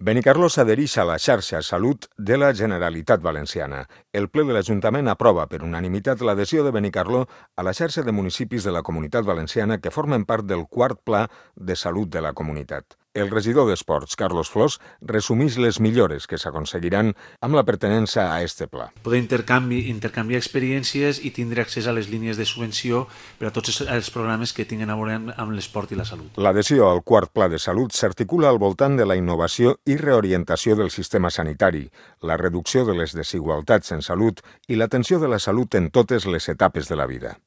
Benicarló s'adhereix a la xarxa Salut de la Generalitat Valenciana. El ple de l'Ajuntament aprova per unanimitat l'adhesió de Benicarló a la xarxa de municipis de la Comunitat Valenciana que formen part del quart Pla de Salut de la Comunitat. El regidor d'Esports, Carlos Flors, resumeix les millores que s'aconseguiran amb la pertinença a este pla. Poder intercanviar experiències i tindre accés a les línies de subvenció per a tots els programes que tinguin a veure amb l'esport i la salut. L'adhesió al quart Pla de Salut s'articula al voltant de la innovació i reorientació del sistema sanitari, la reducció de les desigualtats en salut i l'atenció de la salut en totes les etapes de la vida.